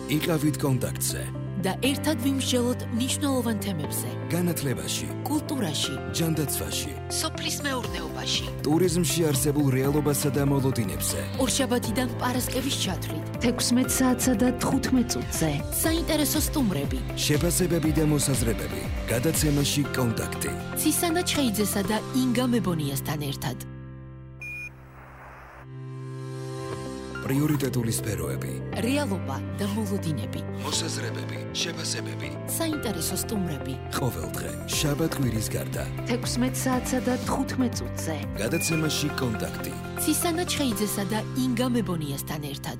იყავით კონტაქტზე და ერთად ვიმსჯელოთ მნიშვნელოვან თემებზე. განათლებაში, კულტურაში, ჯანდაცვაში, სოფლის მეურნეობაში, ტურიზმში არსებულ რეალობასა და მოლოდინებზე. ორშაბათიდან პარასკევის ჩათვლით 16 საათსა და 15 წუთზე. საინტერესო სტუმრები, შეფასებები და მოსაზრებები. გადაცემაში კონტაქტი. ცისანა ჩხეიძესა და ინგა მებონიასთან ერთად. პრიორიტეტული სფეროები. რეალობა და მოლოდინები. მოსაზრებები, შეფასებები. საინტერესო სტუმრები. ყოველდღე, შაბათ-კვირის გარდა. 16 საათსა და 15 წუთზე. გადაცემაში კონტაქტი. ცისანა ჩხეიძესა და ინგა მებონიასთან ერთად.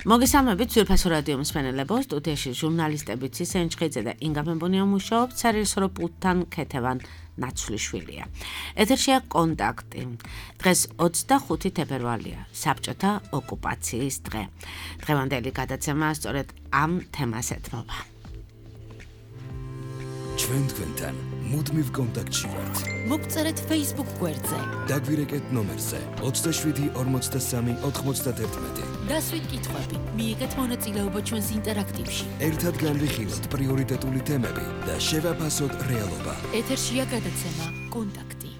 მოგესალმებით ძვირფასო რადიო მსმენელებო, სტუდიაში ჟურნალისტები ცისანა ჩხეიძე და ინგა მებონია მუშაობთ, სარეჟისორო პულტთან ქეთევან ნაცვლიშვილია. ეთერშია კონტაქტი. დღეს 25 თებერვალია, საბჭოთა ოკუპაციის დღე. დღევანდელი გადაცემა სწორედ ამ თემას ეთმობა. ჩვენ თქვენთან მუდმივ კონტაქტში ვართ. მოგწერეთ Facebook გვერდზე. დაგვირეკეთ ნომერზე 27 43 91. დასვით კითხვები, მიიღეთ მონაწილეობა ჩვენს ინტერაქტივში. ერთად განვიხილოთ პრიორიტეტული თემები და შევაფასოთ რეალობა. ეთერშია გადაცემა კონტაქტი.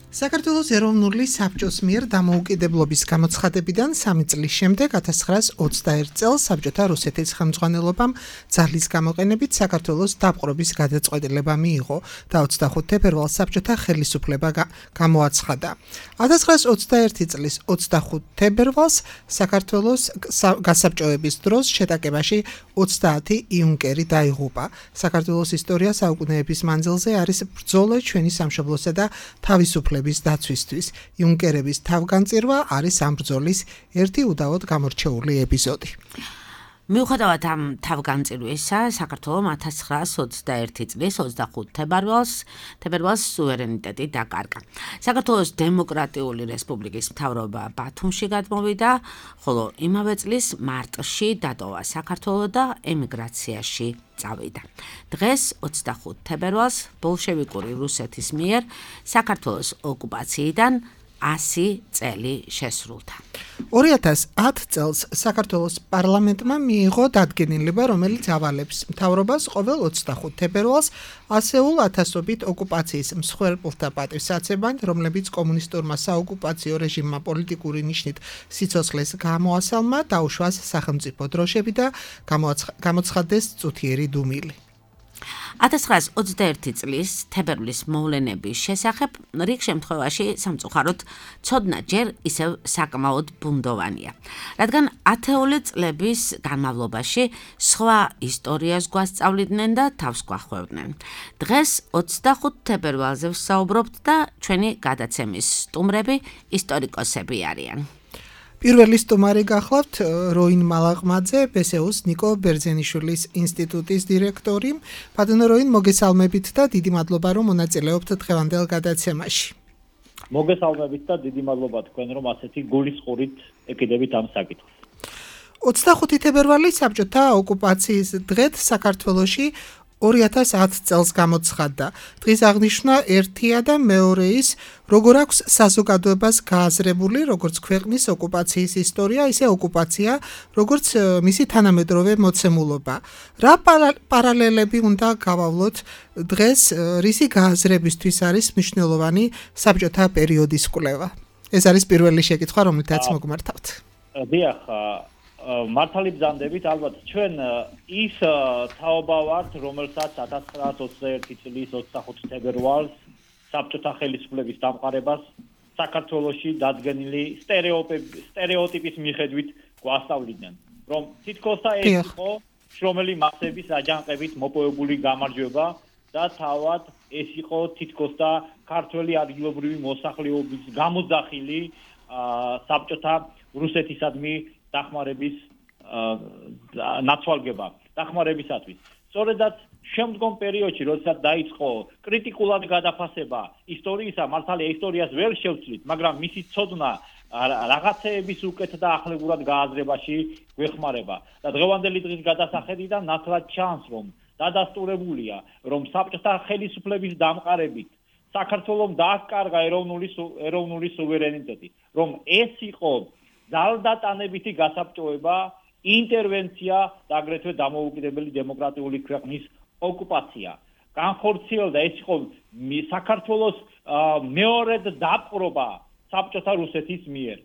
საქართველოს ეროვნული საბჭოს მიერ დამოუკიდებლობის გამოცხადებიდან 3 წლის შემდეგ 1921 წელს საბჭოთა რუსეთის ხელმძღვანელობამ ძალის გამოყენებით საქართველოს დაპყრობის გადაწყვეტილება მიიღო და 25 თებერვალს საბჭოთა ხელისუფლება გამოაცხადა. 1921 წლის 25 თებერვალს საქართველოს გასაბჭოების დროს შეტაკებაში 30 იუნკერი დაიღუპა. საქართველოს ისტორია საუკუნეების მანძილზე არის ბრძოლა ჩვენი სამშობლოსა და თავისუფლების დაცვისთვის. იუნკერების თავგანწირვა არის ამ ბრძოლის ერთი უდავოდ გამორჩეული ეპიზოდი. მიუხედავად ამ თავგანწირვისა, საქართველომ 1921 წლის 25 თებერვალს სუვერენიტეტი დაკარგა. საქართველოს დემოკრატიული რესპუბლიკის მთავრობა ბათუმში გადმოვიდა, ხოლო იმავე წლის მარტში დატოვა საქართველო და ემიგრაციაში წავიდა. დღეს 25 თებერვალს ბოლშევიკური რუსეთის მიერ საქართველოს ოკუპაციიდან 100 წელი შესრულდა. 2010 წელს საქართველოს პარლამენტმა მიიღო დადგენილება, რომელიც ავალებს მთავრობას ყოველ 25 თებერვალს ასეულ ათასობით ოკუპაციის მსხვერპლთა პატივსაცემად, რომლებიც კომუნისტურმა საოკუპაციო რეჟიმმა პოლიტიკური ნიშნით სიცოცხლეს გამოასალმა, დაუშვას სახელმწიფო დროშები და გამოცხადდეს წუთიერი დუმილი. 1921 წლის თებერვლის მოვლენების შესახებ რიგ შემთხვევაში სამწუხაროდ ცოდნა ჯერ ისევ საკმაოდ ბუნდოვანია, რადგან ათეული წლების განმავლობაში სხვა ისტორიას გვასწავლიდნენ და თავს გვახვევდნენ. დღეს 25 თებერვალზე ვსაუბრობთ და ჩვენი გადაცემის სტუმრები ისტორიკოსები არიან. პირველი სტუმარი გახლავთ როინ მალაღმაძე, ბესეუს ნიკო ბერძენიშვილის ინსტიტუტის დირექტორი. ბატონო როინ, მოგესალმებით და დიდი მადლობა რომ მონაწილეობთ დღევანდელ გადაცემაში. მოგესალმებით და დიდი მადლობა თქვენ რომ ასეთი გულისხმობით ეკიდებით ამ საკითხს. 25 თებერვალი საბჭოთა ოკუპაციის დღედ საქართველოში 2010 წელს გამოცხადდა. დღის აღნიშვნა ერთია და მეორე ის, როგორ აქვს საზოგადოებას გააზრებული როგორც ქვეყნის ოკუპაციის ისტორია, ისე ოკუპაცია, როგორც მისი თანამედროვე მოცემულობა. რა პარალელები უნდა გავავლოთ დღეს, რისი გააზრებისთვის არის მნიშვნელოვანი საბჭოთა პერიოდის კვლევა? ეს არის პირველი შეკითხვა, რომელთაც მოგმართავთ. დიახ, მართალი ბრძანდებით, ალბათ ჩვენ ის თაობა ვართ, რომელსაც 1921 წლის 25 თებერვალს საბჭოთა ხელისუფლების დამყარებას საქართველოში დადგენილი სტერეოტიპის მიხედვით გვასწავლიდნენ, რომ თითქოსა ეს იყო შრომელი მასების აჯანყებით მოპოვებული გამარჯვება და თავად ეს იყო თითქოსა ქართველი ადგილობრივი მოსახლეობის გამოძახილი საბჭოთა რუსეთისადმი დახმარების ნაცვალგება დახმარებისათვის. სწორედაც შემდგომ პერიოდში, როდესაც დაიწყო კრიტიკულად გადაფასება ისტორიისა, მართალია ისტორიას ვერ შევცვლით, მაგრამ მისი ცოდნა რაღაცეების უკეთ და ახლებურად გააზრებაში გვეხმარება. და დღევანდელი დღის გადასახედიდან ნათლად ჩანს, რომ დადასტურებულია, რომ საბჭოთა ხელისუფლების დამყარებით საქართველოს დააკარგა ეროვნული სუვერენიტეტი, რომ ეს იყო ძალდატანებითი გასაბჭოება, ინტერვენცია და აგრეთვე დამოუკიდებელი დემოკრატიული ქვეყნის ოკუპაცია. განხორციელდა ეს იყო საქართველოს მეორედ დაპყრობა საბჭოთა რუსეთის მიერ.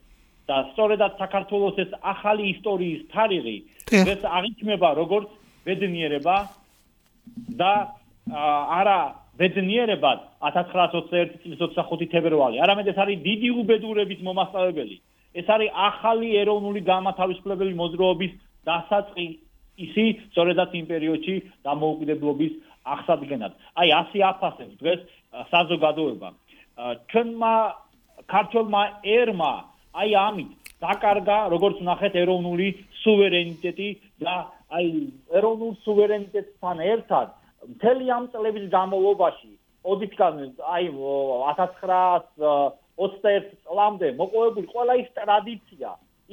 და სწორედაც საქართველოს ეს ახალი ისტორიის თარიღი ეს აღიქმება როგორც ბედნიერება და არა ბედნიერებად 1921 წლის 25 თებერვალი, არამედ ეს არის დიდი უბედურების მომასწავლებელი. ეს არის ახალი ეროვნული განმათავისუფლებელი მოძრაობის დასაწყისი, სწორედაც იმ პერიოდში დამოუკიდებლობის აღსადგენად. აი ასე აფასებს დღეს საზოგადოება. ჩვენმა ქართველმა ერმა აი ამით დაკარგა, როგორც ნახეთ, ეროვნული სუვერენიტეტი და აი ეროვნულ სუვერენიტეტთან ერთად მთელი ამ წლების განმავლობაში, ოდითგან აი 1921 წლამდე მოპოვებული ყველა ის ტრადიცია,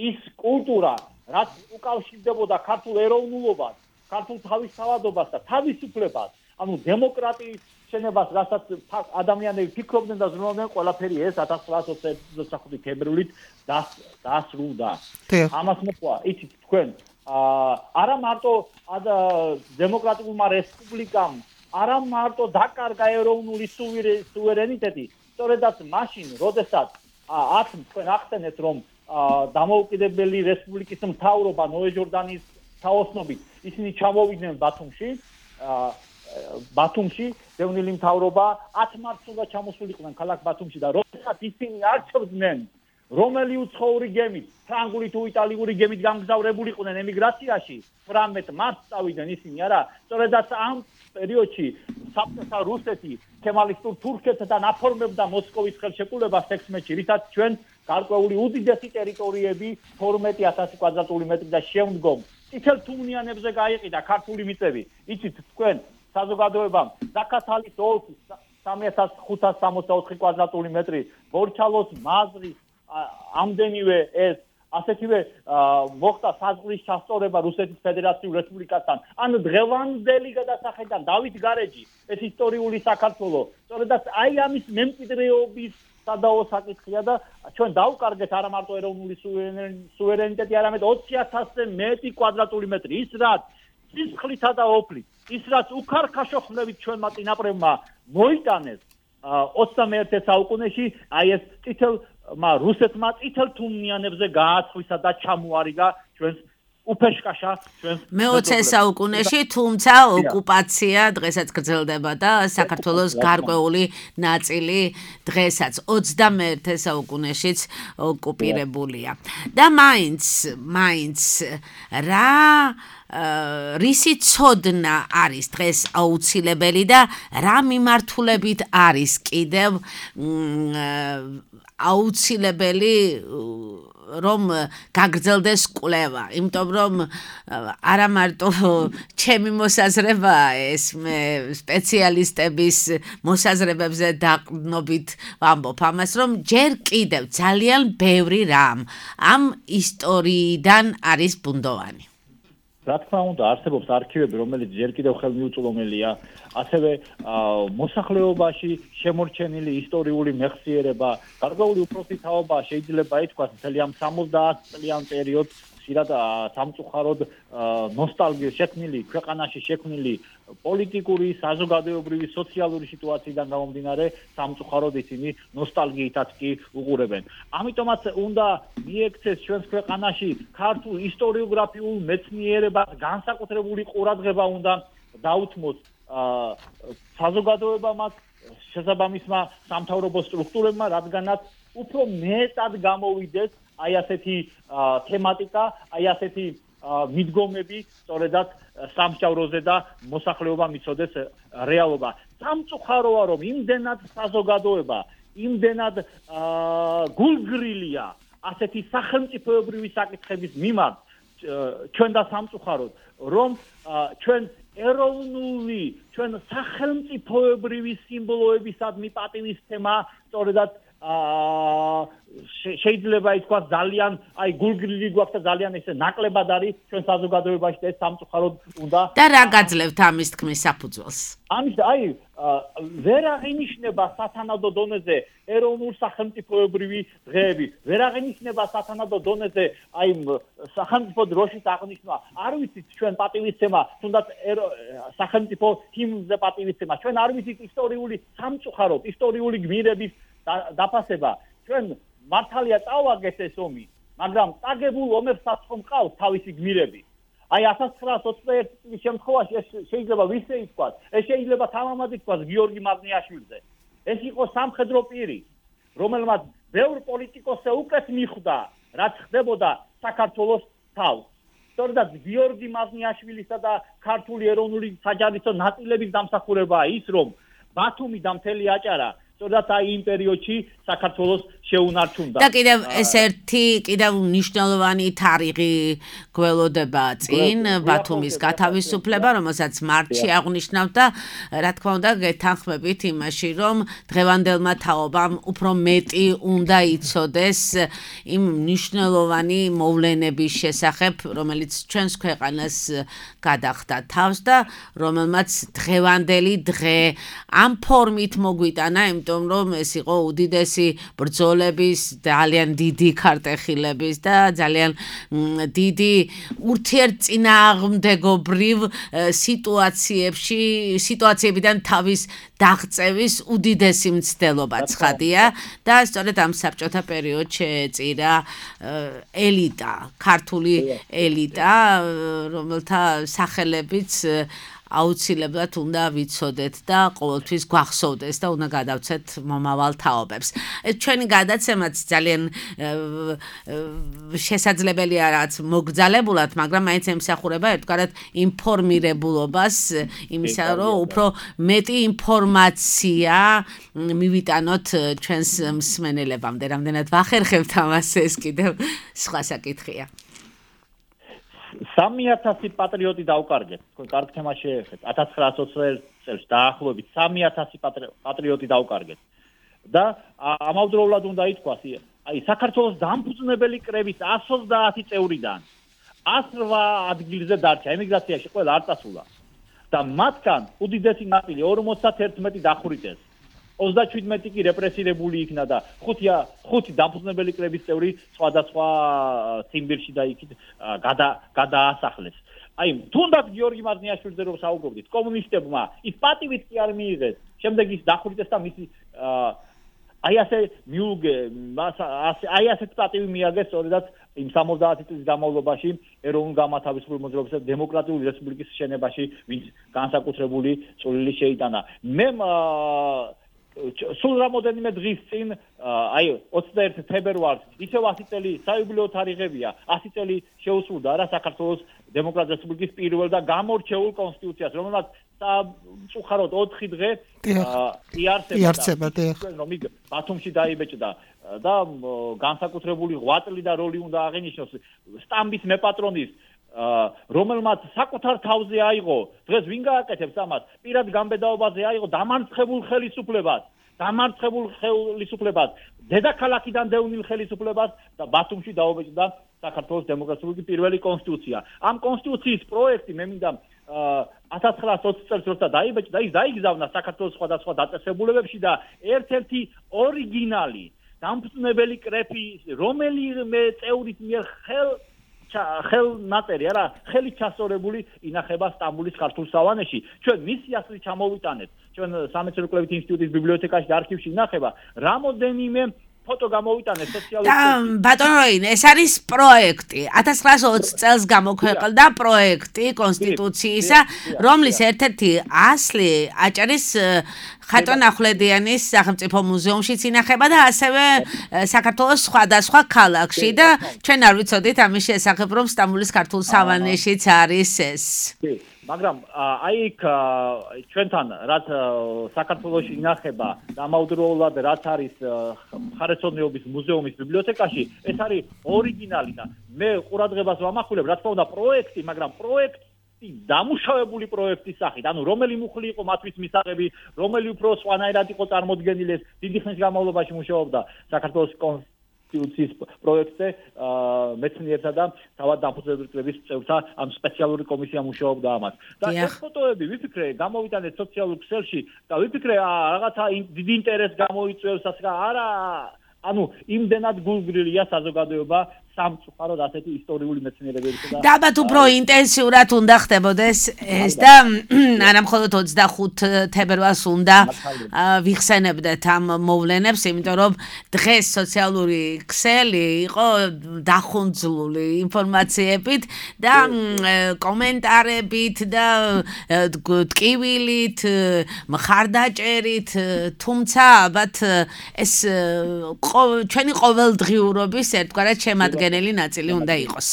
ის კულტურა, რაც უკავშირდებოდა ქართულ ეროვნულობას, ქართულ თავისთავადობას და თავისუფლებას, ანუ დემოკრატიის შენებას, რასაც ადამიანები ფიქრობდნენ და ზრუნავდნენ, ყველაფერი ეს 1925 თებერვლით დასრულდა. ამას მოყვა, იცით თქვენ, არა მარტო დემოკრატიულმა რესპუბლიკამ, არა მარტო დაკარგა ეროვნული სუვერენიტეტი, სწორედაც მაშინ, როდესაც თქვენ ახსენეთ, რომ დამოუკიდებელი რესპუბლიკის მთავრობა ნოე ჟორდანის თაოსნობით ისინი ჩამოვიდნენ ბათუმში, დევნილი მთავრობა 10 მარტს უნდა ჩამოსულიყვნენ ქალაქ ბათუმში და როდესაც ისინი არჩევდნენ რომელი უცხოური გემით, ფრანგული თუ იტალიური გემით გამგზავრებულიყვნენ ემიგრაციაში, 18 მარტს წავიდნენ ისინი, არა, სწორედაც ამ პერიოდში საბჭოთა რუსეთი ქემალისტურ თურქეთთან აფორმებდა მოსკოვის ხელშეკრულებას 16-ში, რითაც ჩვენ გარკვეული უდიდესი ტერიტორიები 12,000 კვადრატული მეტრი და შემდგომ წითელ თუმნიანებზე გაიყიდა ქართული მიწები. იცით თქვენ საზოგადოებამ ზაქათალის ოლქის 3564 კვადრატული მეტრი, ბორჩალოს მაზრის ამდენივე ეს ასეთივე მოხდა საზღვრის ჩასწორება რუსეთის ფედერაციულ რესპუბლიკასთან. ან დღევანდელი გადასახედიდან დავით გარეჯი, ეს ისტორიული საქართველო, სწორედაც აი ამის მემკვიდრეობის სადაო საკითხია და ჩვენ დავკარგეთ არა მარტო ეროვნული სუვერენიტეტი, არამედ 20,000-ზე მეტი კვადრატული მეტრი, ის რაც სისხლითა და ოფლით, ის რაც უქარქაშო ხმლებით ჩვენმა წინაპრებმა მოიტანეს 21 საუკუნეში, აი ეს რუსეთმა წითელ თუმნიანებზე გააცხვისა და ჩამოარიგა ჩვენს უფეშკაშა ჩვენს მე-20 საუკუნეში, თუმცა ოკუპაცია დღესაც გრძელდება და საქართველოს გარკვეული ნაწილი დღესაც 21 საუკუნეშიც ოკუპირებულია. და მაინც რა რისი ცოდნა არის დღეს აუცილებელი და რა მიმართულებით არის კიდევ აუცილებელი რომ გაგრძელდეს კვლევა, იმიტომ რომ არა მარტო ჩემი მოსაზრებაა ეს, მე სპეციალისტების მოსაზრებებზე დაყრდნობით ვამბობ ამას, რომ ჯერ კიდევ ძალიან ბევრი რამ ამ ისტორიიდან არის ბუნდოვანი. რა თქმა უნდა, არსებობს არქივები, რომელიც ჯერ კიდევ ხელმიუწვდომელია, ასევე მოსახლეობაში შემორჩენილი ისტორიული მეხსიერება, გარკვეული უფროსი თაობა შეიძლება ითქვას, მთელი ამ 70 წლიან პერიოდს ხშირად სამწუხაროდ ნოსტალგია ქვეყანაში შექმნილი პოლიტიკური, საზოგადოებრივი, სოციალური სიტუაციიდან გამომდინარე, სამწუხაროდ ისინი ნოსტალგიითაც კი უყურებენ. ამიტომაც უნდა მიექცეს ჩვენს ქვეყანაში ქართულ ისტორიოგრაფიულ მეცნიერებას განსაკუთრებული ყურადღება უნდა დაუთმოს საზოგადოებამაც, შესაბამისმა სამთავრობო სტრუქტურებმა, რადგანაც უფრო მეტად გამოვიდეს აი ასეთი თემატიკა, აი ასეთი მიდგომები, სწორედაც სამსჯავროზე და მოსახლეობამ იცოდეს რეალობა. სამწუხაროა, რომ იმდენად საზოგადოება, იმდენად გულგრილია ასეთი სახელმწიფოებრივი საკითხების მიმართ, ჩვენ და სამწუხაროდ, რომ ჩვენ ჩვენ სახელმწიფოებრივი სიმბოლოებისადმი პატივისცემა, სწორედაც შეიძლება ითქვას ძალიან გულგრილი გვაქვს და ძალიან ესე ნაკლებად არის ჩვენ საზოგადოებაში და ეს სამწუხაროდ უნდა და რა გაძლევთ ამის თქმის საფუძველს? ამის ვერ აღინიშნება სათანადო დონეზე ეროვნულ სახელმწიფოებრივი დღეები, ვერ აღინიშნება სათანადო დონეზე სახელმწიფო დროშის აღნიშვნა. არ ვიცით ჩვენ პატივისცემა, თუნდაც სახელმწიფო ჰიმნზე პატივისცემა. ჩვენ არ ვიცით ისტორიული სამწუხაროდ, ისტორიული გმირების დაფასება. ჩვენ მართალია წავაგეთ ეს ომი, მაგრამ წაგებულ ომებსაც ხომ ყავს თავისი გმირები. 1921 წლის შემთხვევაში ეს შეიძლება ვისე ითქვას, ეს შეიძლება თამამად ითქვას გიორგი მაზნიაშვილზე. ეს იყო სამხედრო პირი, რომელმაც ბევრ პოლიტიკოსზე უკეთ მიხვდა, რაც ხდებოდა საქართველოს თავს. სწორედ გიორგი მაზნიაშვილისა და ქართული ეროვნული საჯარისო ნაწილების დამსახურებაა ის, რომ ბათუმი და მთელი აჭარა სწორედ იმ პერიოდში საქართველოს შეუნარჩუნდა. და კიდევ ეს ერთი კიდევ მნიშვნელოვანი თარიღი გველოდება წინ ბათუმის გათავისუფლება, რომელსაც მარტში აღნიშნავთ და რა თქმა უნდა გეთანხმებით იმაში, რომ დღევანდელმა თაობამ უფრო მეტი უნდა იცოდეს იმ მნიშვნელოვანი მოვლენების შესახებ, რომელიც ჩვენს ქვეყანას გადახდა თავს და რომელმაც დღევანდელი დღე ამ ფორმით მოგვიტანა, იმიტომ რომ ეს იყო უდიდესი ბრძოლების, ძალიან დიდი ქარტეხილების და ძალიან დიდი ურთიერთწინააღმდეგობრივ სიტუაციებიდან თავის დაღწევის უდიდესი მცდელობა ცხადია და სწორედ ამ საბჭოთა პერიოდში შეეწირა ელიტა, ქართული ელიტა, რომელთა სახელებიც აუცილებლად უნდა ვიცოდეთ და ყოველთვის გვახსოვდეს და უნდა გადავცეთ მომავალ თაობებს. ჩვენი გადაცემაც ძალიან შესაძლებელია რაც მოგძალებულად, მაგრამ მაინც ემსახურება ერთგვარად ინფორმირებულობას, იმისა, რომ უფრო მეტი ინფორმაცია მივიტანოთ ჩვენს მსმენელებამდე. რამდენად ვახერხებთ ამას, ეს კიდევ სხვა საკითხია. 3000 პატრიოტი დავკარგეთ. თქვენ კარგ თემას შეეხეთ. 1920 წელს დაახლოებით 3000 პატრიოტი დავკარგეთ. და ამავდროულად უნდა ითქვას, საქართველოს დამფუძნებელი კრების 130 წევრიდან 108 ადგილზე დარჩა, ემიგრაციაში ყველა არ წასულა. და მათგან უდიდესი ნაწილი 51 დახვრიტეს. 37 კი რეპრესირებული იქნა და 5 დამფუძნებელი კრების წევრი სხვადასხვა ციმბირში და იქით გადაასახლეს. თუნდაც გიორგი მაზნიაშვილზე რომ საუბრობდით, კომუნისტებმა ის პატივით კი არ მიიღეს. შემდეგ ის დახვრიტეს და მისი ასეთ პატივი მიაგეს სწორედაც იმ 70 წლის განმავლობაში ეროვნულ გამათავისუფლების მოძრაობის და დემოკრატიული რესპუბლიკის შენებაში, ვინც განსაკუთრებული წვლილი შეიტანა. მე სულ რამოდენიმე დღის წინ 21 ფებრუარს ისევ 100 წელი საიუბილეო თარიღებია, 100 წელი შეუსრულდა რა საქართველოს დემოკრატიული რესპუბლიკის პირველ და გამორჩეულ კონსტიტუციას, რომელმაც სამწუხაროდ 4 დღე იარსება რომ იქ ბათუმში დაიბეჭდა და განსაკუთრებული ღვაწლი და როლი უნდა აღინიშნოს სტამბის მეპატრონის, რომელმაც საკუთარ თავზე აიღო, დღეს ვინ გააკეთებს ამას, პირად გამბედაობაზე აიღო დამარცხებულ ხელისუფლებას, დედაქალაქიდან დევნილ ხელისუფლებას და ბათუმში დაუბეჭდა საქართველოს დემოკრატიული პირველი კონსტიტუცია. ამ კონსტიტუციის პროექტი მე მინდა 1920 წელს როცა დაიბეჭდა, ის დაიგზავნა საქართველოს სხვადასხვა დაწესებულებებში და ერთ-ერთი ორიგინალი დამფუძნებელი კრეფი, რომელიმე წევრის მიერ ხელნაწერი, არა, ხელით ჩასწორებული ინახება სტამბოლის ქართულ სავანეში. ჩვენ მისი ასლი ჩამოვიტანეთ. ჩვენ სამეცნიერო კვლევით ინსტიტუტის ბიბლიოთეკაში და არქივში ინახება რამოდენიმე ფოტო გამოვიტანეთ სოციალურ ბატონო როინ, ეს არის პროექტი. 1920 წელს გამოქვეყნდა პროექტი კონსტიტუციისა, რომლის ერთ-ერთი ასლი აჭარის ხატონ ახვლედიანის სახელმწიფო მუზეუმშიც ინახება და ასევე საქართველოს სხვადასხვა ქალაქში და ჩვენ არ ვიცოდით ამის შესახებ, რომ სტამბოლის ქართულ სავანეშიც არის ეს. მაგრამ იქ ჩვენთან რაც საქართველოში ინახება და ამავდროულად რაც არის მხარეთმცოდნეობის მუზეუმის ბიბლიოთეკაში, ეს არის ორიგინალი და მე ყურადღებას ვამახვილებ, რა თქმა უნდა პროექტი, მაგრამ პროექტს დამუშავებული პროექტის სახით, ანუ რომელი მუხლი იყო მათთვის მისაღები, რომელი უფრო სხვანაირად იყო წარმოდგენილი, დიდი ხნის განმავლობაში მუშაობდა საქართველოს კონსტიტუციის პროექტზე, მეცნიერთა და თავად დამფუძნებლების წევრთა ამ სპეციალური კომისია მუშაობდა ამას. და ეს ფოტოები ვიფიქრე, გამოვიტანეთ სოციალურ ქსელში და ვიფიქრე რაღაცა დიდი ინტერესს გამოიწვევს, არა ანუ იმდენად გულგრილია საზოგადოება სამწუხაროდ ასეთი ისტორიული მეცნიერებებისა და ალბათ უფრო ინტენსიურად უნდა ხდებოდეს ეს და არა მხოლოდ 25 თებერვალს უნდა ვიხსენებდეთ ამ მოვლენებს, იმიტომ რომ დღეს სოციალური ქსელი იყო დახუნძლული ინფორმაციებით და კომენტარებით და ტკივილით, მხარდაჭერით, თუმცა ალბათ ეს ჩვენი ყოველდღიურობის ერთგვარად შემადგენელი ნაწილი უნდა იყოს.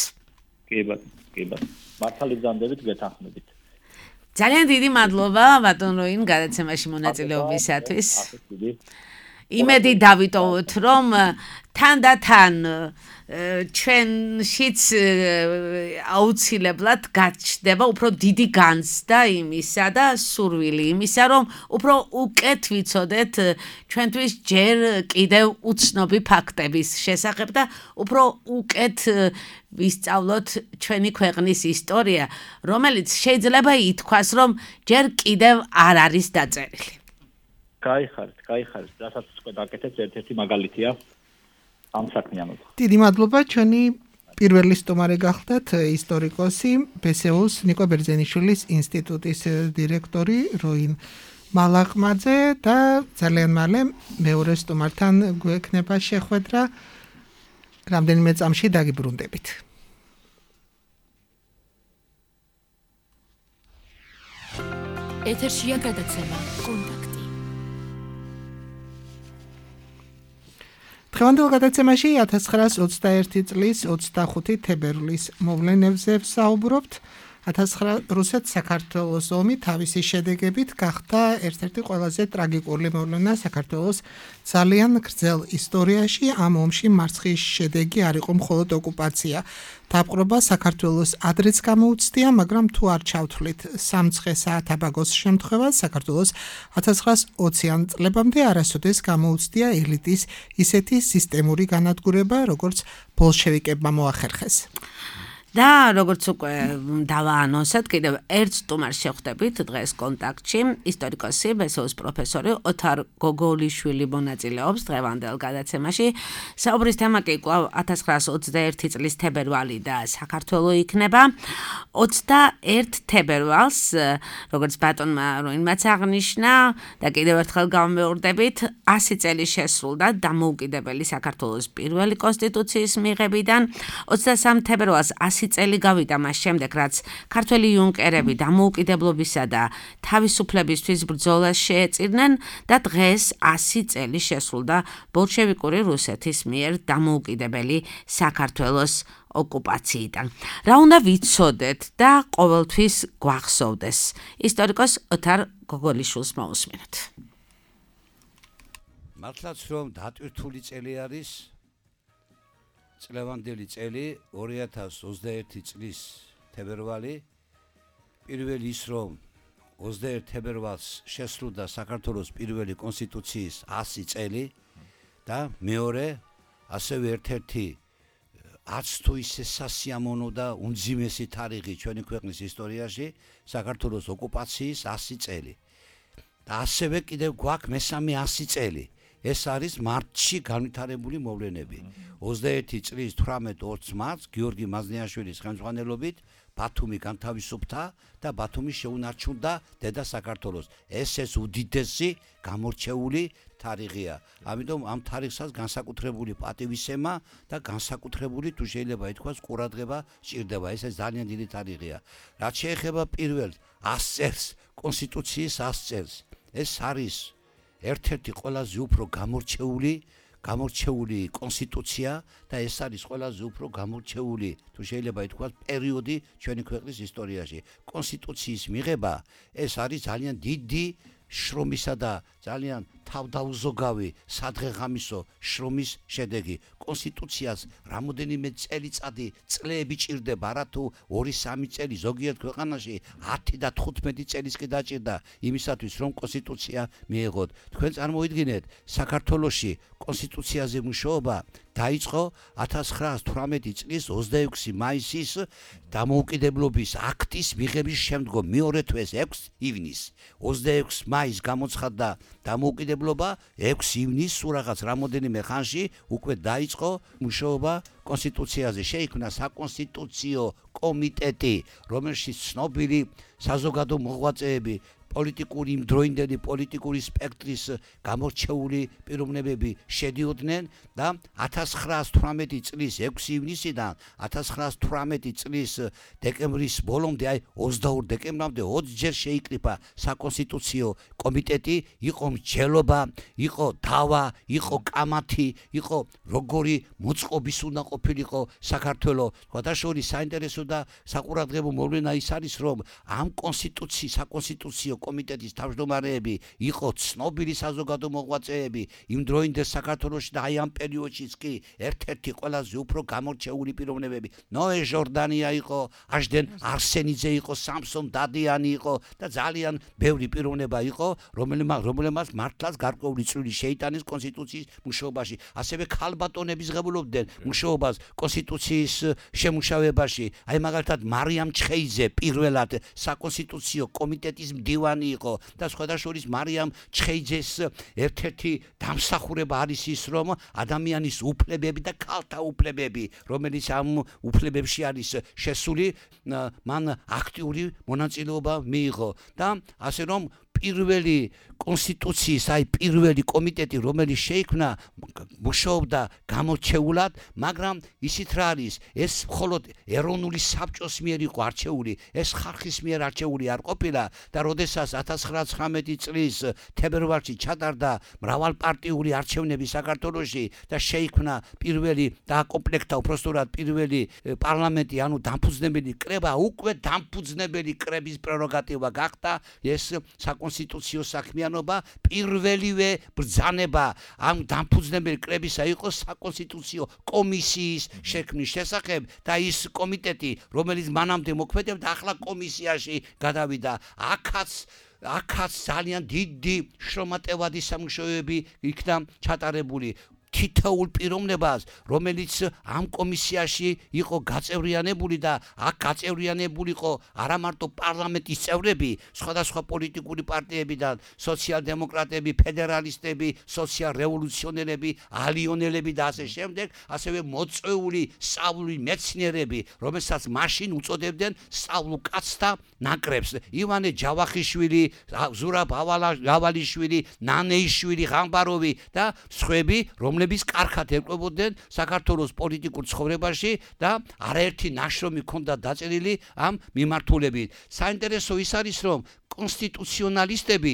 კი ბატონო, მართალი გზანდებით გეთანხმებით. ძალიან დიდი მადლობა ბატონ როინ გადაცემაში მონაწილეობისათვის. იმედი დავიტოვოთ, რომ თანდათან ჩვენშიც აუცილებლად გაჩნდება უფრო დიდი განცდა იმისა და სურვილი იმისა, რომ უფრო უკეთ ვიცოდეთ ჩვენთვის ჯერ კიდევ უცნობი ფაქტების შესახებ და უფრო უკეთ ვისწავლოთ ჩვენი ქვეყნის ისტორია, რომელიც შეიძლება ითქვას, რომ ჯერ კიდევ არ არის დაწერილი. გაიხარეთ, რასაც უკვე დაკეთეთ, ერთ-ერთი მაგალითია ამ საქმიანობა. დიდი მადლობა, ჩვენი პირველი სტუმარი გახდათ ისტორიკოსი, ბესეუს ნიკო ბერძენიშვილის ინსტიტუტის დირექტორი როინ მალაყმაძე და ძალიან მალე მეორე სტუმართან გვექნება შეხვედრა რამდენიმე წამში დაგიბრუნდებით. ეთერშია გადაცემა კონტაქტი. დღევანდელ გადაცემაში 1921 წლის 25 თებერვლის მოვლენებზე ვსაუბრობთ. რუსეთ-საქართველოს ომი თავისი შედეგებით გახდა ერთ-ერთი ყველაზე ტრაგიკული მოვლენა საქართველოს ძალიან გრძელ ისტორიაში. ამ ომში მარცხის შედეგი არ იყო მხოლოდ ოკუპაცია. დაპყრობა საქართველოს ადრეც გამოუცდია, მაგრამ თუ არ ჩავთვლით სამცხე საათაბაგოს შემთხვევას, საქართველოს 1920-იან წლებამდე არასოდეს გამოუცდია ელიტის ისეთი სისტემური განადგურება, როგორც ბოლშევიკებმა მოახერხეს. და როგორც უკვე დავაანონსეთ, კიდევ ერთ სტუმარს შევხვდებით დღეს კონტაქტში, ისტორიკოსი, ბესეუს პროფესორი ოთარ გოგოლიშვილი მონაწილეობს დღევანდელ გადაცემაში. საუბრის თემა კი კვლავ 1921 წლის თებერვალი და საქართველო იქნება. 21 თებერვალს, როგორც ბატონმა როინმაც აღნიშნა და კიდევ ერთხელ გავმეორდებით, 100 წელი შესრულდა დამოუკიდებელი საქართველოს პირველი კონსტიტუციის მიღებიდან. 23 თებერვალს 100 წელი გავიდა მას შემდეგ, რაც ქართველი იუნკერები დამოუკიდებლობისა და თავისუფლებისთვის ბრძოლას შეეწირნენ და დღეს 100 წელი შესრულდა ბოლშევიკური რუსეთის მიერ დამოუკიდებელი საქართველოს ოკუპაციიდან. რა უნდა ვიცოდეთ და ყოველთვის გვახსოვდეს? ისტორიკოს ოთარ გოგოლიშვილს მოусმინოთ. მართლაც რომ დატვირთული წელი არის წლევანდელი წელი 2021 წლის თებერვალი, პირველი ის რომ 21 თებერვალს შესრულდა საქართველოს პირველი კონსტიტუციის 100 წელი და მეორე ასევე ერთ-ერთი არც თუ ისე სასიამოვნო და უმძიმესი თარიღი ჩვენი ქვეყნის ისტორიაში საქართველოს ოკუპაციის 100 წელი. და ასევე კიდევ გვაქვს მესამე 100 წელი. ეს არის მარტში განვითარებული მოვლენები. 21 წლის 18-20 მარტს გიორგი მაზნიაშვილის ხელმძღვანელობით ბათუმი განთავისუფლდა და ბათუმი შეუნარჩუნდა დედა საქართველოს. ეს უდიდესი გამორჩეული თარიღია. ამიტომ ამ თარიღსაც განსაკუთრებული პატივისცემა და განსაკუთრებული თუ შეიძლება ითქვას ყურადღება სჭირდება. ეს ძალიან დიდი თარიღია. რაც შეეხება პირველ 100 წელს, კონსტიტუციის 100 წელს, ეს არის ერთ-ერთი ყველაზე უფრო გამორჩეული კონსტიტუცია და ეს არის ყველაზე უფრო გამორჩეული თუ შეიძლება ითქვას პერიოდი ჩვენი ქვეყნის ისტორიაში. კონსტიტუციის მიღება ეს არის ძალიან დიდი შრომისა და ძალიან თავდაუზოგავი სადღეღამისო შრომის შედეგი. კონსტიტუციას რამოდენიმე წლები ჭირდება, არა თუ 2-3 წელი, ზოგიერთ ქვეყანაში 10 და 15 წელიც კი დაჭირდა იმისათვის, რომ კონსტიტუცია მიეღოთ. თქვენ წარმოიდგინეთ, საქართველოში კონსტიტუციაზე მუშაობა დაიწყო 1918 წლის 26 მაისის დამოუკიდებლობის აქტის მიღების შემდგომ, მეორე თვეს 6 ივნისს. 26 მაისს გამოცხადდა დამოუკიდებლობა, 6 ივნისს სულ რაღაც რამოდენიმე ხანში უკვე დაიწყო მუშაობა კონსტიტუციაზე. შეიქმნა საკონსტიტუციო კომიტეტი, რომელშიც ცნობილი საზოგადო მოღვაწეები, პოლიტიკური იმდროინდელი პოლიტიკური სპექტრის გამორჩეული პიროვნებები შედიოდნენ და 1918 წლის 6 ივნისიდან 1918 წლის დეკემბრის ბოლომდე, აი 22 დეკემბრამდე 20 ჯერ შეიკრიფა საკონსტიტუციო კომიტეტი, იყო მსჯელობა, იყო დავა, იყო კამათი, იყო როგორი მოწყობის უნდა ყოფილიყო საქართველოს. სხვადასხვა საინტერესო და საყურადღებო მოვლენა ის არის, რომ ამ საკონსტიტუციო კომიტეტის თავმჯდომარეები იყო ცნობილი საზოგადო მოღვაწეები იმ დროინდელ საქართველოში და აი ამ პერიოდშიც კი ერთ-ერთი ყველაზე უფრო გამორჩეული პიროვნებები. ნოე ჟორდანია იყო, აშდენ არსენიძე იყო, სამსონ დადიანი იყო და ძალიან ბევრი პიროვნება იყო, რომელმაც მართლაც გარკვეული წვლილი შეიტანეს კონსტიტუციის მუშაობაში. ასევე ქალბატონები ღებულობდნენ მუშაობას კონსტიტუციის შემუშავებაში. აი მაგალითად მარიამ ჩხეიძე პირველად საკონსტიტუციო კომიტეტის მდივანი იყო და სხვადასხვა მარიამ ჩხეიძეს ერთ-ერთი დამსახურება არის ის, რომ ადამიანის უფლებები და ქალთა უფლებები, რომელიც ამ უფლებებში არის შესული, მან აქტიური მონაწილეობა მიიღო და ასე რომ პირველი კონსტიტუციის, აი პირველი კომიტეტი, რომელიც შეიქმნა, მუშაობდა გამორჩეულად, მაგრამ ისიც რა არის, ეს მხოლოდ ეროვნული საბჭოს მიერ იყო არჩეული, ეს ხალხის მიერ არჩეული არ ყოფილა და როდესაც 1919 წლის თებერვალში ჩატარდა მრავალპარტიული არჩევნები საქართველოში და შეიქმნა პირველი დააკომპლექტა უпростоრად პირველი პარლამენტი, ანუ დამფუძნებელი კრება, უკვე დამფუძნებელი კრების პრეროგატივა გახდა ეს საკონსტიტუციო საქმიანობა. პირველივე ბრძანება ამ დამფუძნებელი კრებისა იყო საკონსტიტუციო კომისიის შექმნის შესახებ და ის კომიტეტი, რომელიც მანამდე მოქმედებდა, ახლა კომისიაში გადავიდა. აქაც ძალიან დიდი შრომატევადი სამუშაოები იქნა ჩატარებული. თითოეულ პიროვნებას, რომელიც ამ კომისიაში იყო გაწევრიანებული და აქ გაწევრიანებული იყო არა მარტო პარლამენტის წევრები, სხვადასხვა პოლიტიკური პარტიებიდან, სოციალ-დემოკრატები, ფედერალისტები, სოციალ-რევოლუციონერები, ალიონელები და ასე შემდეგ, ასევე მოწვეული სწავლული მეცნიერები, რომელსაც მაშინ უწოდებდნენ სწავლულ კაცთა ნაკრებს. ივანე ჯავახიშვილი, ზურაბ ავალიშვილი, ნანეიშვილი, ღამბაროვი და სხვები, რომლებიც კარგად ეკლებოდნენ საქართველოს პოლიტიკურ ცხოვრებაში და არაერთი ნაშრომი ჰქონდა დაწერილი ამ მიმართულებით. საინტერესო ის არის, რომ კონსტიტუციონალისტები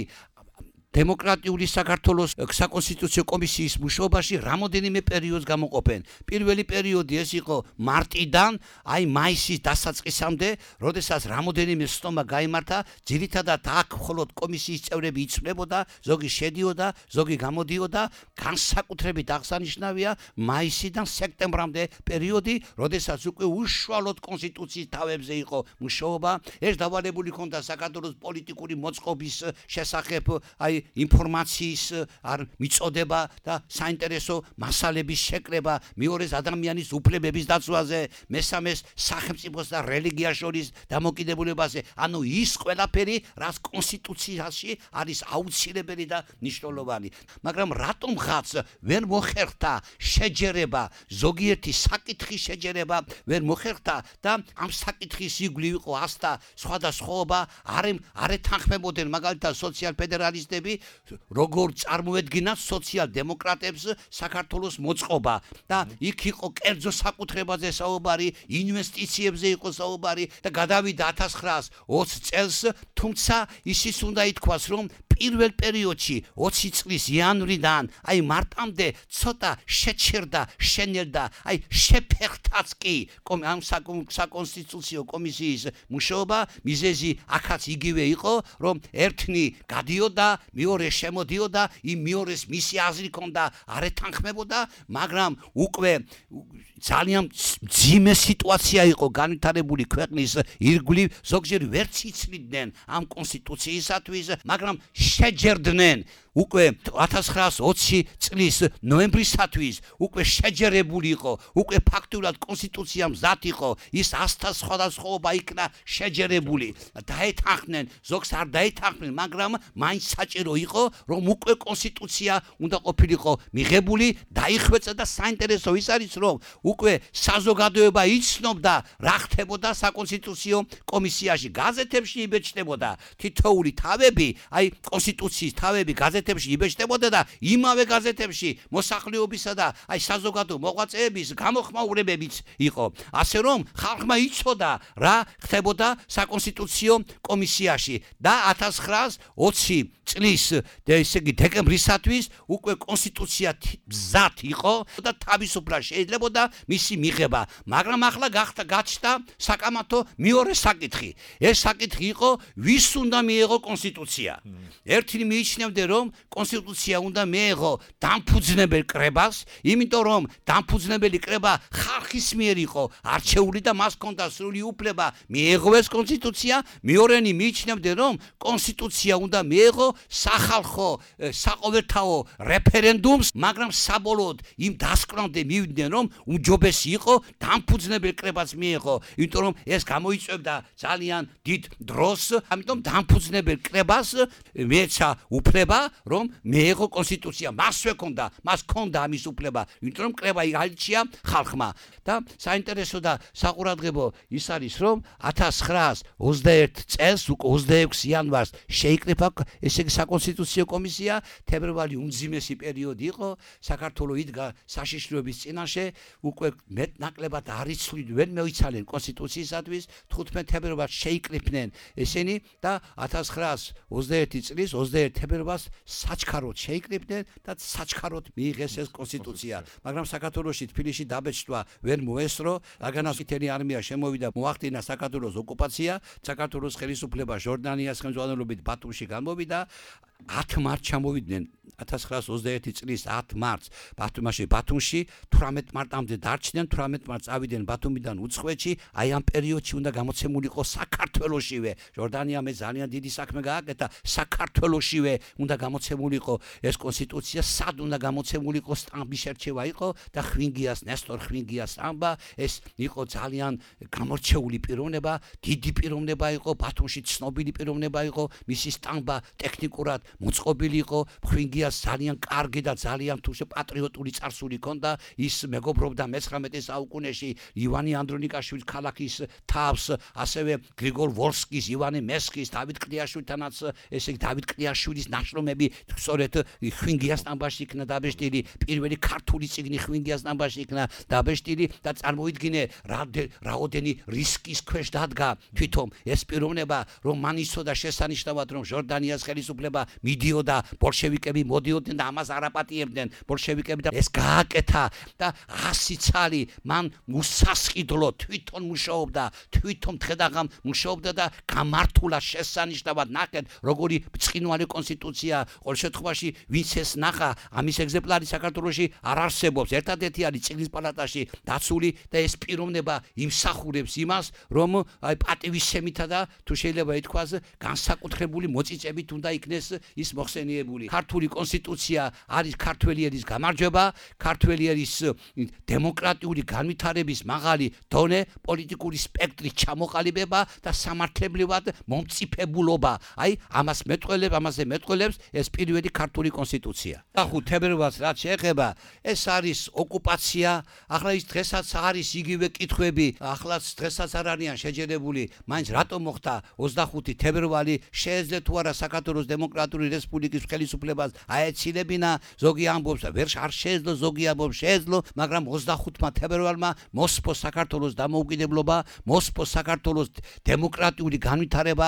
დემოკრატიული საქართველოს საკონსტიტუციო კომისიის მუშაობაში რამოდენიმე პერიოდს გამოყოფენ. პირველი პერიოდი ეს იყო მარტიდან აი მაისის დასაწყისამდე, როდესაც რამოდენიმე სხდომა გაიმართა, ძირითადად აქ მხოლოდ კომისიის წევრები იცვლებოდა, ზოგი შედიოდა, ზოგი გამოდიოდა. განსაკუთრებით აღსანიშნავია მაისიდან სექტემბრამდე პერიოდი, როდესაც უკვე უშუალოდ კონსტიტუციის თავებზე იყო მუშაობა. ეს დავალებული ჰქონდა საქართველოს პოლიტიკური მოწყობის შესახებ აი ინფორმაციის მიწოდება და საინტერესო მასალების შეკრება, მეორეს ადამიანის უფლებების დაცვაზე, მესამეს სახელმწიფოს და რელიგიას შორის დამოკიდებულებაზე. ანუ ის ყველაფერი, რაც კონსტიტუციაში არის აუცილებელი და მნიშვნელოვანი. მაგრამ რატომღაც ვერ მოხერხდა შეჯერება, ზოგიერთი საკითხის შეჯერება ვერ მოხერხდა და ამ საკითხის იგვლივ იყო ასთა სხვადასხვაობა, არ ეთანხმებოდნენ მაგალითად სოციალ-ფედერალისტები, როგორ წარმოედგინათ სოციალ-დემოკრატებს საქართველოს მოწყობა და იქ იყო კერძო საკუთრებაზე საუბარი, ინვესტიციებზე იყო საუბარი და გადავიდა 1920 წელს, თუმცა ისიც უნდა ითქვას, რომ პირველ პერიოდში 20 წლის იანვრიდან აი მარტამდე ცოტა შეჩერდა, შენელდა, აი შეფერხთაც კი ამ საკონსტიტუციო კომისიის მუშაობა მიზეზი აქაც იგივე იყო, რომ ერთნი გადიოდა, მეორე შემოდიოდა, იმ მეორეს მისი აზრი ჰქონდა, არ ეთანხმებოდა, მაგრამ უკვე ძალიან ძიმე სიტუაცია იყო განვითარებული ქვეყნის ირგვლივ, ზოგჯერ ვერც იცლიდნენ ამ კონსტიტუციისათვის, მაგრამ შეჯერდნენ უკვე 1920 წლის ნოემბრისათვის უკვე შეჯერებული იყო, უკვე ფაქტურად კონსტიტუცია მზად იყო, ის 100-თა სხვადასხვაობა იქნა შეჯერებული. დაეთანხმნენ, ზოგს არ დაეთანხმნენ, მაგრამ მაინც საჭირო იყო, რომ უკვე კონსტიტუცია უნდა ყოფილიყო მიღებული, დაიხვეწა და საინტერესო ის არის, რომ უკვე საზოგადოება იცნობდა, რა ხდებოდა საკონსტიტუციო კომისიაში, გაზეთებში იბეჭდებოდა თითოეული თავები, აი კონსტიტუციის თავები გაზეთებში იბეჭდებოდა და იმავე გაზეთებში მოსახლეობისა და აი საზოგადო მოღვაწეების გამოხმაურებებიც იყო. ასე რომ ხალხმა იცოდა რა ხდებოდა საკონსტიტუციო კომისიაში და 1920 წლის ესე იგი დეკემბრისათვის უკვე კონსტიტუცია მზად იყო და თავისუფლად შეიძლებოდა მისი მიღება, მაგრამ ახლა გაჩნდა საკამათო მეორე საკითხი. ეს საკითხი იყო, ვის უნდა მიეღო კონსტიტუცია. ერთნი მიიჩნევდნენ, რომ კონსტიტუცია უნდა მიეღო დამფუძნებელ კრებას, იმიტომ რომ დამფუძნებელი კრება ხალხის მიერ იყო არჩეული და მას ჰქონდა სრული უფლება მიეღოს კონსტიტუცია. მეორენი მიიჩნევდნენ, რომ კონსტიტუცია უნდა მიეღო სახალხო საყოველთაო რეფერენდუმს, მაგრამ საბოლოოდ იმ დასკვნამდე მივიდნენ, რომ უჯობესი იყო დამფუძნებელ კრებას მიეღო, იმიტომ რომ ეს გამოიწვევდა ძალიან დიდ დროს, ამიტომ დამფუძნებელ კრებას მეეცა უფლება, რომ მიეღო კონსტიტუცია. მასვე ჰქონდა, მას ჰქონდა ამის უფლება, იმიტომ რომ კრება აირჩია ხალხმა. და საინტერესო და საყურადღებო ის არის, რომ 1921 წელს, უკვე 26 იანვარს შეიკრიფა ესე იგი საკონსტიტუციო კომისია. თებერვალი უმძიმესი პერიოდი იყო, საქართველოს იდგა საშიშროების წინაშე, უკვე მეტნაკლებად არ იცვლიდნენ, ვერ მოიცალენ კონსტიტუციისათვის. 15 თებერვალს შეიკრიფნენ ესენი და 1921 წლის 21 თებერვალს საჩქაროდ შეიკრიფნენ და საჩქაროდ მიიღეს ეს კონსტიტუცია. მაგრამ საქართველოში თბილისში დაბეჭდვა ვერ მოესწრო, რადგანაც მთელი არმია შემოვიდა, მოახდინა საქართველოს ოკუპაცია, საქართველოს ხელისუფლება ჟორდანიას ხელმძღვანელობით ბათუმში გამოვიდა. 10 მარტს ჩამოვიდნენ 1921 წლის 10 მარტს ბათუმში, 18 მარტამდე დარჩნენ, 18 მარტს ავიდნენ ბათუმიდან უცხოეთში. აი ამ პერიოდში უნდა გამოცემულიყო საქართველოსშივე, ჟორდანიამ ძალიან დიდი საქმე გააკეთა, საქართველოსშივე უნდა გამოცემულიყო ეს კონსტიტუცია. სად უნდა გამოცემულიყო? სტამბის შერჩევა იყო და ხვინგიას, ნესტორ ხვინგიას სტამბა, ეს იყო ძალიან გამორჩეული პიროვნება, დიდი პიროვნება იყო, ბათუმში ცნობილი პიროვნება იყო, მისი სტამბა ტექნიკურად მოწყობილი იყო, ხვინგიას ძალიან კარგი და ძალიან თუშე პატრიოტული წარსული ჰქონდა, ის მეგობრობდა მე-19 საუკუნეში ივანე ანდრონიკაშვილის ქალაქის თავს, ასევე გრიგორ ვოლსკის, ივანე მესხის, დავით კლიაშვილთანაც, ესე იგი დავით კლიაშვილის ნაშრომები სწორედ ხვინგიას სტამბაში იქნა დაბეჭდილი, პირველი ქართული წიგნი ხვინგიას სტამბაში იქნა დაბეჭდილი და წარმოიდგინე რაოდენი რისკის ქვეშ დადგა თვითონ ეს პიროვნება, რომ მან იცოდა შესანიშნავად, რომ ჟორდანიას ხელისუფლება მიდიოდა, ბოლშევიკები მოდიოდნენ და ამას არაპატიებდნენ ბოლშევიკები და ეს გააკეთა და 100 წელი მან უსასყიდლო თვითონ მუშაობდა, თვითონ დღედაღამ მუშაობდა და გამართულა შესანიშნავად. ნახეთ, როგორი ბრწყინვალე კონსტიტუცია, ყოველ შემთხვევაში ვინც ეს ნახა, ამის ეგზემპლარი საქართველოში არ არსებობს. ერთადერთი არის წიგნის პალატაში დაცული და ეს პიროვნება იმსახურებს იმას, რომ აი პატივისცემითა და თუ შეიძლება ითქვას განსაკუთრებული მოწიწებით უნდა იქნეს ის მოხსენიებული. ქართული კონსტიტუცია არის ქართველი ერის გამარჯვება, ქართველი ერის დემოკრატიული განვითარების მაღალი დონე, პოლიტიკური სპექტრის ჩამოყალიბება და სამართლებრივად მომწიფებულობა. აი ამაზე მეტყველებს ეს პირველი ქართული კონსტიტუცია. და 5 თებერვალს რაც შეეხება, ეს არის ოკუპაცია. ახლა ის დღესაც არის იგივე კითხვები, ახლაც დღესაც არ არიან შეჯერებული, მაინც რატომ მოხდა 25 თებერვალი, შეეძლო თუ არა საქართველოს დემოკრატიული დემოკრატიული რესპუბლიკის ხელისუფლებას აეცილებინა, ზოგი ამბობს და ვერ არ შეეძლო, ზოგი ამბობს შეეძლო, მაგრამ 25 თებერვალმა მოსპოს საქართველოს დამოუკიდებლობა, მოსპოს საქართველოს დემოკრატიული განვითარება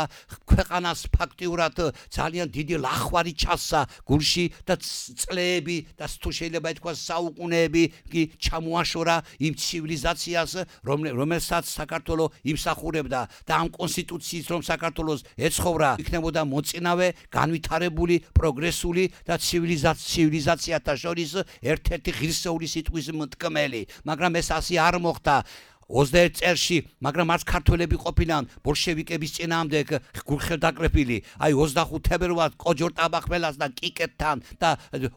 ქვეყანას ფაქტიურად ძალიან დიდი ლახვარი ჩასცა გულში და წლები და თუ შეიძლება ითქვას საუკუნეები კი ჩამოაშორა იმ ცივილიზაციას, რომელსაც საქართველო იმსახურებდა და ამ კონსტიტუციის რომ საქართველოს ეცხოვრა, იქნებოდა მოწინავე, განვითარებული, პროგრესული და ცივილიზაციათა შორის ერთ-ერთი ღირსეული სიტყვის მტკმელი, მაგრამ ეს ასე არ მოხდა 21 წელში, მაგრამ არც ქართველები ყოფილან ბოლშევიკების წინააღმდეგ გულხელდაკრეფილი. აი 25 თებერვალს კოჯორტაბახმელასთან, კიკეთთან და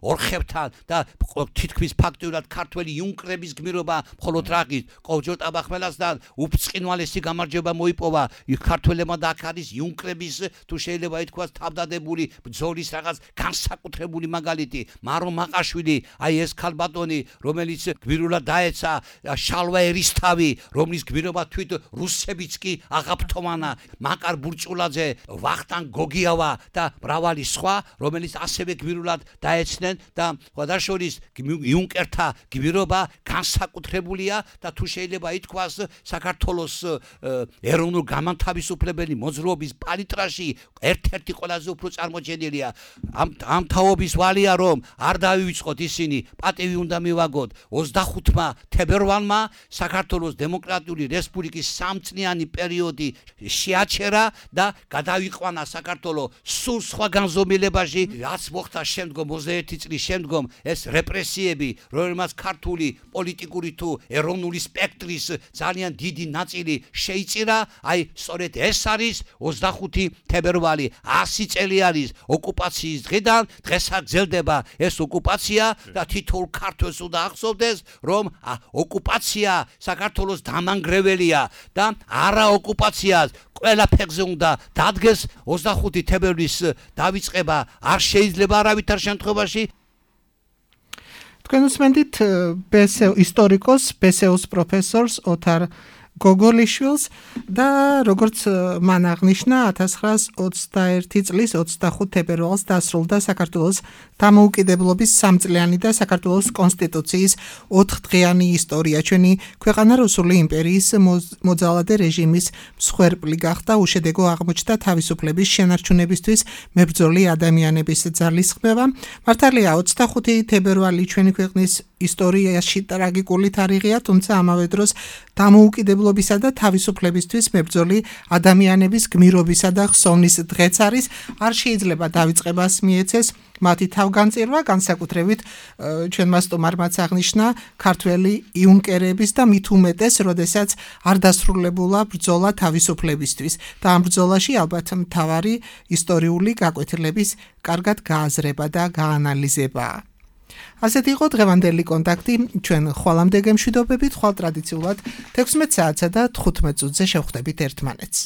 ორხებთან და თითქმის ფაქტიურად ქართველი იუნკრების გმირობა მხოლოდ რაღის კოჯორტაბახმელასთან უფწყინვალესი გამარჯვება მოიპოვა ქართველებმა და აქ არის იუნკრების თუ შეიძლება ითქვას თავდადებული ბრძოლის რაღაც განსაკუთრებული მაგალითი. მარო მაყაშვილი, აი ეს ქალბატონი, რომელიც გმირულად დაეცა შალვა ერისთავი, რომლის გმირობა თვით რუსებიც კი აღაფრთოვანა, მაკარ ბურჭულაძე, ვახტანგ გოგიავა და მრავალი სხვა, რომელიც ასევე გმირულად დაეცნენ და სხვადასხვა იუნკერთა გმირობა განსაკუთრებულია და თუ შეიძლება ითქვას საქართველოს ეროვნულ გამანთავისუფლებელი მოძრაობის პალიტრაში ერთ-ერთი ყველაზე უფრო წარმოჩენილია. ამ თაობის ვალია რომ არ დავივიწყოთ ისინი, პატივი უნდა მივაგოთ 25 თებერვალმა საქართველოს დემოკრატიული რესპუბლიკის სამწლიანი პერიოდი შეაჩერა და გადავიყვანა საქართველოს სულ სხვა განზომილებაში, რაც მოხდა შემდგომ 21 წლის შემდგომ ეს რეპრესიები, რომელმაც ქართული პოლიტიკური თუ ეროვნული სპექტრის ძალიან დიდი ნაწილი შეიწირა, აი სწორედ ეს არის 25 თებერვალი, 100 წელი არის ოკუპაციის დღიდან, დღესაც გრძელდება ეს ოკუპაცია და თითოეულ ქართველს უნდა ახსოვდეს, რომ ოკუპაცია საქართველოს დამანგრეველია და არა ოკუპაციას ყველა ფეხზე უნდა დადგეს 25 თებერვლის დავიწყება არ შეიძლება არავითარ შემთხვევაში. თქვენ უსმენთ ისტორიკოს ბესეუს პროფესორს ოთარ გოგოლიშვილს და როგორც მან აღნიშნა 1921 წლის 25 თებერვალს დასრულდა საქართველოს დამოუკიდებლობის სამწლიანი და საქართველოს კონსტიტუციის 4 დღიანი ისტორია. ჩვენი ქვეყანა რუსული იმპერიის მოძალადე რეჟიმის მსხვერპლი გახდა, უშედეგო აღმოჩნდა თავისუფლების შენარჩუნებისთვის მებრძოლი ადამიანების ძალისხმევა. მართალია 25 თებერვალი ჩვენი ქვეყნის ისტორიაში ტრაგიკული თარიღია, თუმცა ამავე დროს დამოუკიდებლობისა და თავისუფლებისთვის მებრძოლი ადამიანების გმირობისა და ხსოვნის დღეც არის. არ შეიძლება დავიწყებას მიეცეს მათი თავგანწირვა, განსაკუთრებით ჩვენმა სტუმარმაც აღნიშნა ქართველი იუნკერების და მით უმეტეს, როდესაც არ დასრულებულა ბრძოლა თავისუფლებისთვის და ამ ბრძოლაში ალბათ მთავარი ისტორიული გაკვეთილების კარგად გააზრება და გაანალიზება. ასეთი იყო დღევანდელი კონტაქტი. ჩვენ ხვალამდე გემშვიდობებით, ხვალ ტრადიციულად 16 საათსა და 15 წუთზე შევხვდებით ერთმანეთს.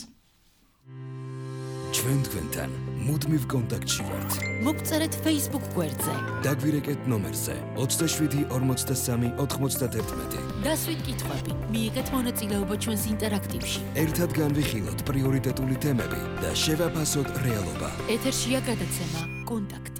ჩვენ თქვენთან მუდმივ კონტაქტში ვართ. მოგწერეთ Facebook გვერდზე. დაგვირეკეთ ნომერზე 27 43 91. დასვით კითხვები, მიიღეთ მონაწილეობა ჩვენს ინტერაქტივში. ერთად განვიხილოთ პრიორიტეტული თემები და შევაფასოთ რეალობა. ეთერშია გადაცემა კონტაქტი.